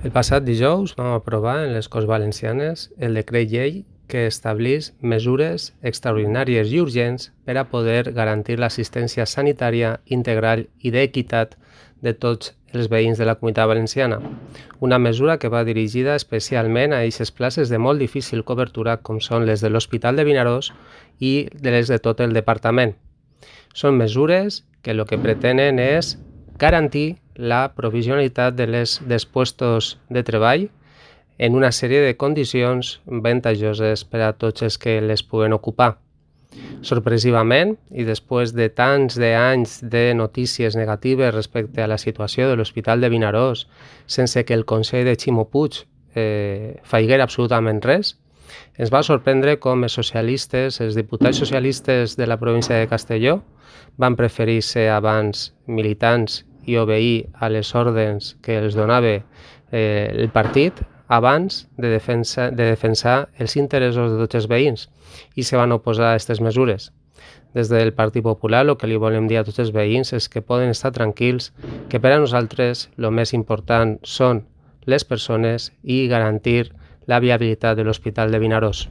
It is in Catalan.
El passat dijous vam aprovar en les Corts Valencianes el decret llei que estableix mesures extraordinàries i urgents per a poder garantir l'assistència sanitària integral i d'equitat de tots els veïns de la Comunitat Valenciana. Una mesura que va dirigida especialment a aquestes places de molt difícil cobertura com són les de l'Hospital de Vinaròs i les de tot el departament. Són mesures que el que pretenen és garantir la provisionalitat dels puestos de treball en una sèrie de condicions avantatjoses per a tots els que les puguen ocupar. Sorpresivament, i després de tants anys de notícies negatives respecte a la situació de l'Hospital de Vinaròs, sense que el Consell de Ximo Puig faiguera absolutament res, ens va sorprendre com els diputats socialistes de la província de Castelló van preferir ser abans militants i obeir a les ordres que els donava el partit abans de defensar els interessos de tots els veïns i se van oposar a aquestes mesures. Des del Partit Popular el que li volem dir a tots els veïns és que poden estar tranquils, que per a nosaltres el més important són les persones i garantir la viabilitat de l'Hospital de Vinaròs.